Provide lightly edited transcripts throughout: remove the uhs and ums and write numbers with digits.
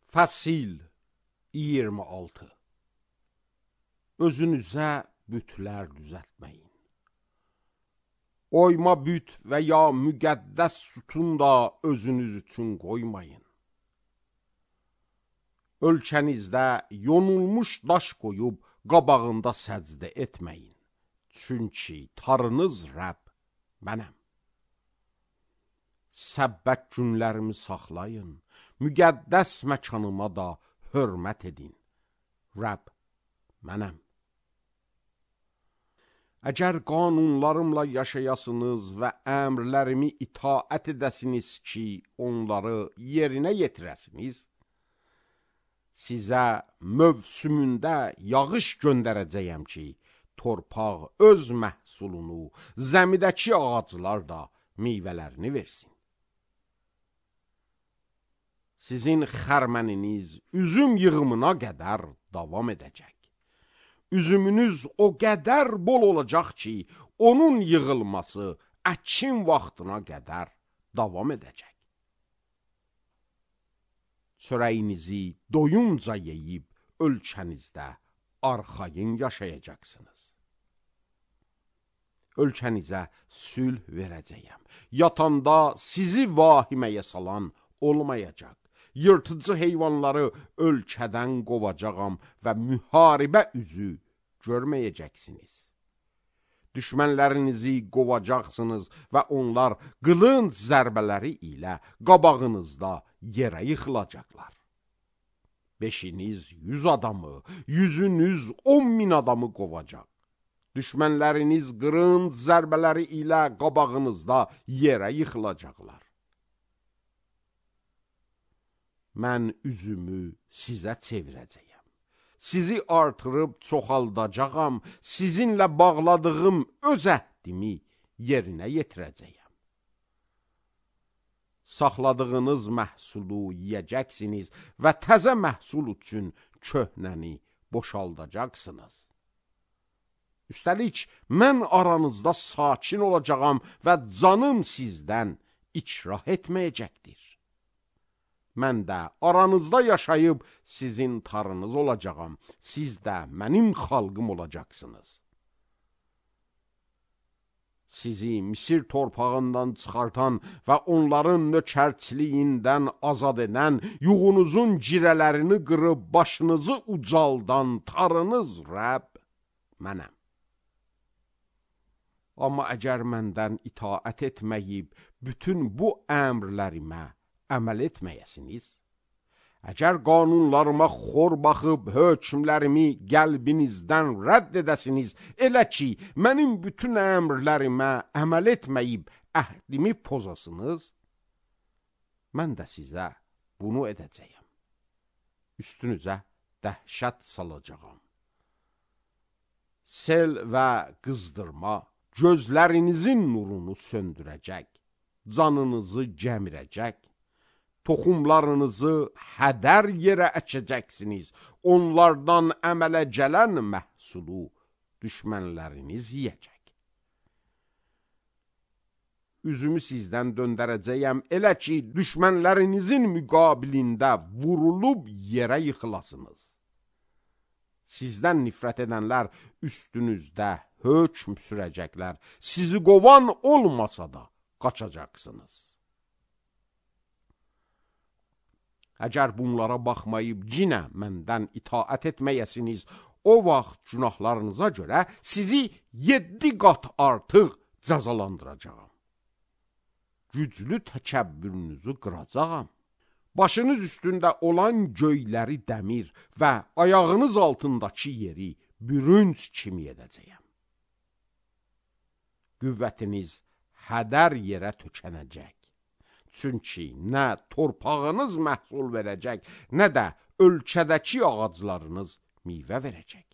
Fəsil 26. Özünüzə bütlər düzəltməyin. Oyma büt və ya müqəddəs sütun da özünüz üçün qoymayın. Ölkənizdə yonulmuş daş qoyub qabağında səcdə etməyin. Çünki tarınız Rəbb mənəm. Səbbət günlərimi saxlayın, müqəddəs məkanıma da hörmət edin. Rəbb mənəm. Əgər qanunlarımla yaşayasınız və əmrlərimi itaət edəsiniz ki, onları yerinə yetirəsiniz, sizə mövsümündə yağış göndərəcəyəm ki, torpaq öz məhsulunu, zəmidəki ağaclar da meyvələrini versin. Sizin xərməniniz üzüm yığımına qədər davam edəcək. Üzümünüz o qədər bol olacaq ki, onun yığılması əkin vaxtına qədər davam edəcək. Çörəyinizi doyunca yeyib ölkənizdə arxayın yaşayacaqsınız. Ölkənizə sülh verəcəyəm. Yatanda sizi vahiməyə salan olmayacaq. Yırtıcı heyvanları ölkədən qovacağam və müharibə üzü görməyəcəksiniz. Düşmənlərinizi qovacaqsınız və onlar qılınc zərbələri ilə qabağınızda yerə yıxılacaqlar. Beşiniz 100 adamı, 100'ünüz 10.000 adamı qovacaq. Düşmənləriniz qılınc zərbələri ilə qabağınızda yerə yıxılacaqlar. Mən üzümü sizə çevirəcəyəm. Sizi artırıb çoxaldacağam, sizinlə bağladığım öz əhdimi yerinə yetirəcəyəm. Saxladığınız məhsulu yeyəcəksiniz və təzə məhsul üçün köhnəni boşaldacaqsınız. Üstəlik, mən aranızda sakin olacağam və canım sizdən ikrah etməyəcəkdir. Mən də aranızda yaşayıb sizin tarınız olacağam. Siz də mənim xalqım olacaqsınız. Sizi Misir torpağından çıxartan və onların nökərçiliyindən azad edən, yuğunuzun cirələrini qırıb başınızı ucaldan tarınız Rəbb mənəm. Amma əgər məndən itaət etməyib, bütün bu əmrlərimə əməl etməyəsiniz, əgər qanunlarıma xor baxıb hökmlərimi qəlbinizdən rədd edəsiniz, elə ki, mənim bütün əmrlərimə əməl etməyib əhdimi pozasınız, mən də sizə bunu edəcəyəm. Üstünüzə dəhşət salacağam. Sel və qızdırma gözlərinizin nurunu söndürəcək, canınızı gəmirəcək, toxumlarınızı hədər yerə əkəcəksiniz, onlardan əmələ gələn məhsulu düşmənləriniz yiyəcək. Üzümü sizdən döndərəcəyəm, elə ki, düşmənlərinizin müqabilində vurulub yerə yıxılasınız. Sizdən nifrət edənlər üstünüzdə hökm sürəcəklər, sizi qovan olmasa da qaçacaqsınız. Əgər bunlara baxmayıb cinə məndən itaət etməyəsiniz, o vaxt günahlarınıza görə sizi 7 qat artıq cəzalandıracağam. Güclü təkəbbürünüzü qıracağam. Başınız üstündə olan göyləri dəmir və ayağınız altındakı yeri bürünc kimi edəcəyəm. Qüvvətiniz hədər yerə tökənəcək. Çünki nə torpağınız məhsul verəcək, nə də ölkədəki ağaclarınız meyvə verəcək.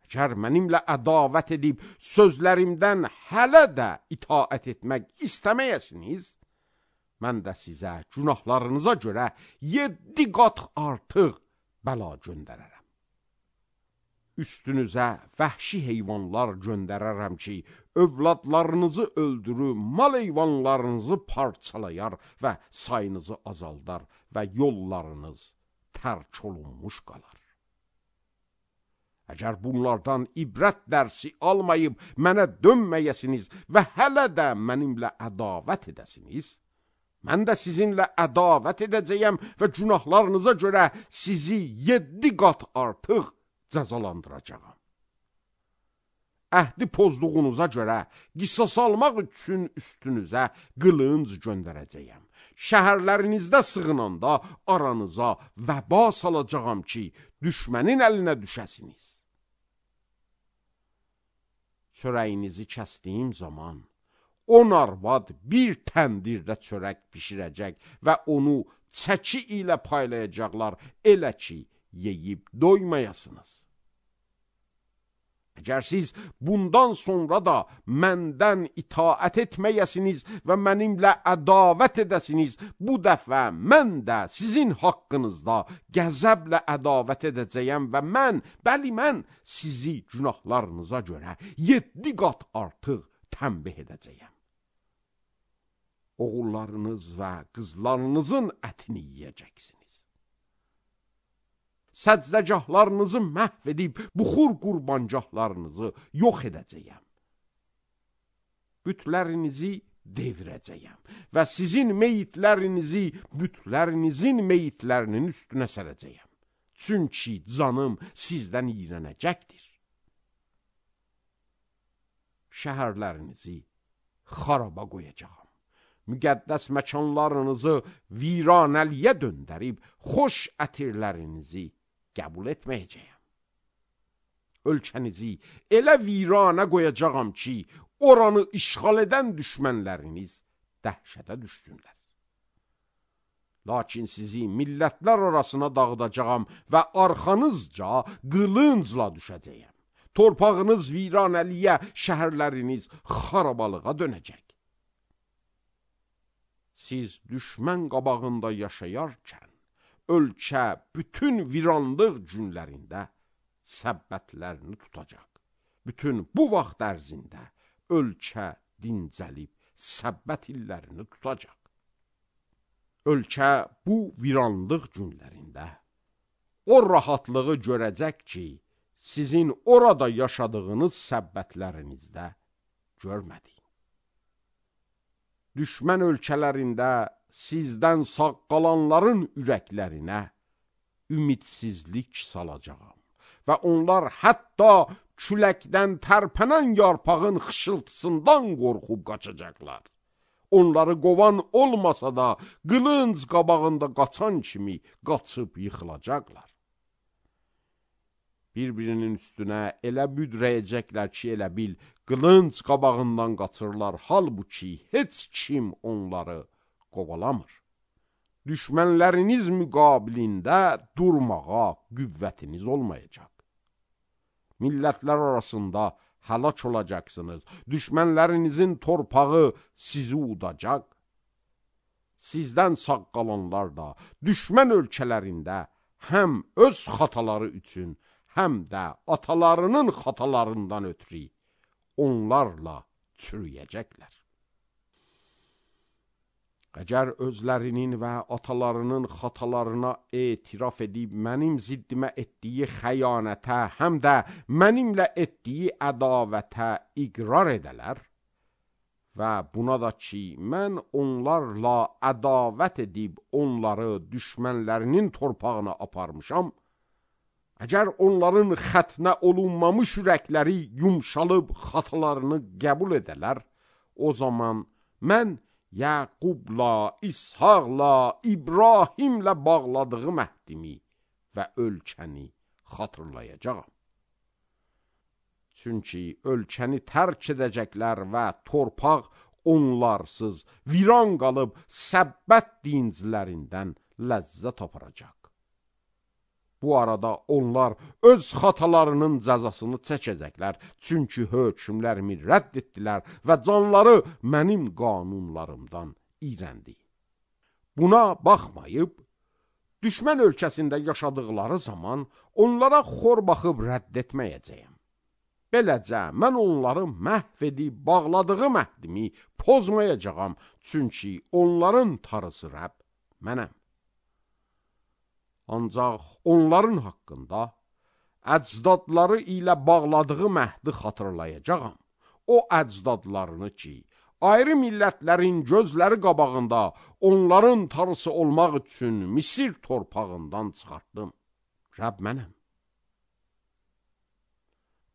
Əgər mənimlə ədavət edib sözlərimdən hələ də itaət etmək istəməyəsiniz, mən də sizə günahlarınıza görə 7 qat artıq bəla göndərərəm. üstünüzə vəhşi heyvanlar göndərərəm ki, övladlarınızı öldürür, mal heyvanlarınızı parçalayar və sayınızı azaldar və yollarınız tərk olunmuş qalar. Əgər bunlardan ibrət dərsi almayıb mənə dönməyəsiniz və hələ də mənimlə ədavət edəsiniz, mən də sizinlə ədavət edəcəyəm və günahlarınıza görə sizi 7 qat artıq cəzalandıracağam. Əhdi pozduğunuza görə qisas almaq üçün üstünüzə qılınc göndərəcəyəm. Şəhərlərinizdə sığınanda aranıza vəba salacağam ki, düşmənin əlinə düşəsiniz. Çörəyinizi kəsdiyim zaman 10 arvad bir təndirdə çörək bişirəcək və onu çəki ilə paylayacaqlar, elə ki, yeyib doymayasınız. Əgər siz bundan sonra da məndən itaət etməyəsiniz və mənimlə ədavət edəsiniz, bu dəfə mən də sizin haqqınızda qəzəblə ədavət edəcəyəm və mən sizi günahlarınıza görə 7 qat artıq tənbih edəcəyəm. Oğullarınız və qızlarınızın ətini yiyəcəksiniz. Səcdəgahlarınızı məhv edib, buxur qurbancahlarınızı yox edəcəyəm. Bütlərinizi devirəcəyəm və sizin meyitlərinizi bütlərinizin meyitlərinin üstünə sərəcəyəm. Çünki canım sizdən iyrənəcəkdir. Şəhərlərinizi xaraba qoyacağam. Müqəddəs məkanlarınızı viranəliyə döndərib, xoş ətirlərinizi qəbul etməyəcəyəm. Ölkənizi elə viranə qoyacağam ki, oranı işğal edən düşmənləriniz dəhşətə düşsünlər. Lakin sizi millətlər arasına dağıdacağam və arxanızca qılıncla düşəcəyəm. Torpağınız viranəliyə, şəhərləriniz xarabalığa dönəcək. Siz düşmən qabağında yaşayarkən, ölkə bütün viranlıq günlərində səbbətlərini tutacaq. Bütün bu vaxt ərzində ölkə dincəlib səbbət illərini tutacaq. Ölkə bu viranlıq günlərində o rahatlığı görəcək ki, sizin orada yaşadığınız səbbətlərinizdə görmədik. Düşmən ölkələrində sizdən sağ qalanların ürəklərinə ümidsizlik salacağam və onlar hətta küləkdən tərpənən yarpağın xışıltısından qorxub qaçacaqlar. Onları qovan olmasa da qılınc qabağında qaçan kimi qaçıb yıxılacaqlar. Bir-birinin üstünə elə büdrəyəcəklər ki, elə bil qılınc qabağından qaçırlar, halbuki heç kim onları qovalamır. Düşmənləriniz müqabilində durmağa qüvvətiniz olmayacaq. Millətlər arasında həlak olacaqsınız. Düşmənlərinizin torpağı sizi udacaq. Sizdən sağ qalanlar da düşmən ölkələrində həm öz xataları üçün, həm də atalarının xatalarından ötürü onlarla çürüyəcəklər. Əgər özlərinin və atalarının xatalarına etiraf edib mənim ziddimə etdiyi xəyanətə, həm də mənimlə etdiyi ədavətə iqrar edələr və buna da ki, mən onlarla ədavət edib onları düşmənlərinin torpağına aparmışam, əgər onların xətnə olunmamış ürəkləri yumşalıb xatalarını qəbul edələr, o zaman mən Yaqubla, İshaqla, İbrahimlə bağladığı məhdimi və ölkəni xatırlayacağam. Çünki ölkəni tərk edəcəklər və torpaq onlarsız viran qalıb səbbət dinclərindən ləzzət aparacaq. Bu arada onlar öz xatalarının cəzasını çəkəcəklər, çünki hökmlərimi rədd etdilər və canları mənim qanunlarımdan iyrəndi. Buna baxmayıb, düşmən ölkəsində yaşadıqları zaman onlara xor baxıb rədd etməyəcəyəm. Beləcə, mən onları məhv edib bağladığım əhdimi pozmayacağam, çünki onların tarısı Rəbb mənəm. Ancaq onların haqqında əcdadları ilə bağladığım əhdi xatırlayacağam. O əcdadlarını ki, ayrı millətlərin gözləri qabağında onların tarısı olmaq üçün Misir torpağından çıxartdım. Rəbb mənəm.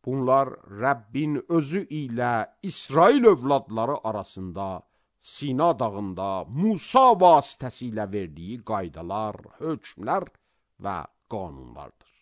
Bunlar Rəbbin özü ilə İsrail övladları arasında Sina dağında Musa vasitəsilə verdiyi qaydalar, hökmlər və qanunlardır.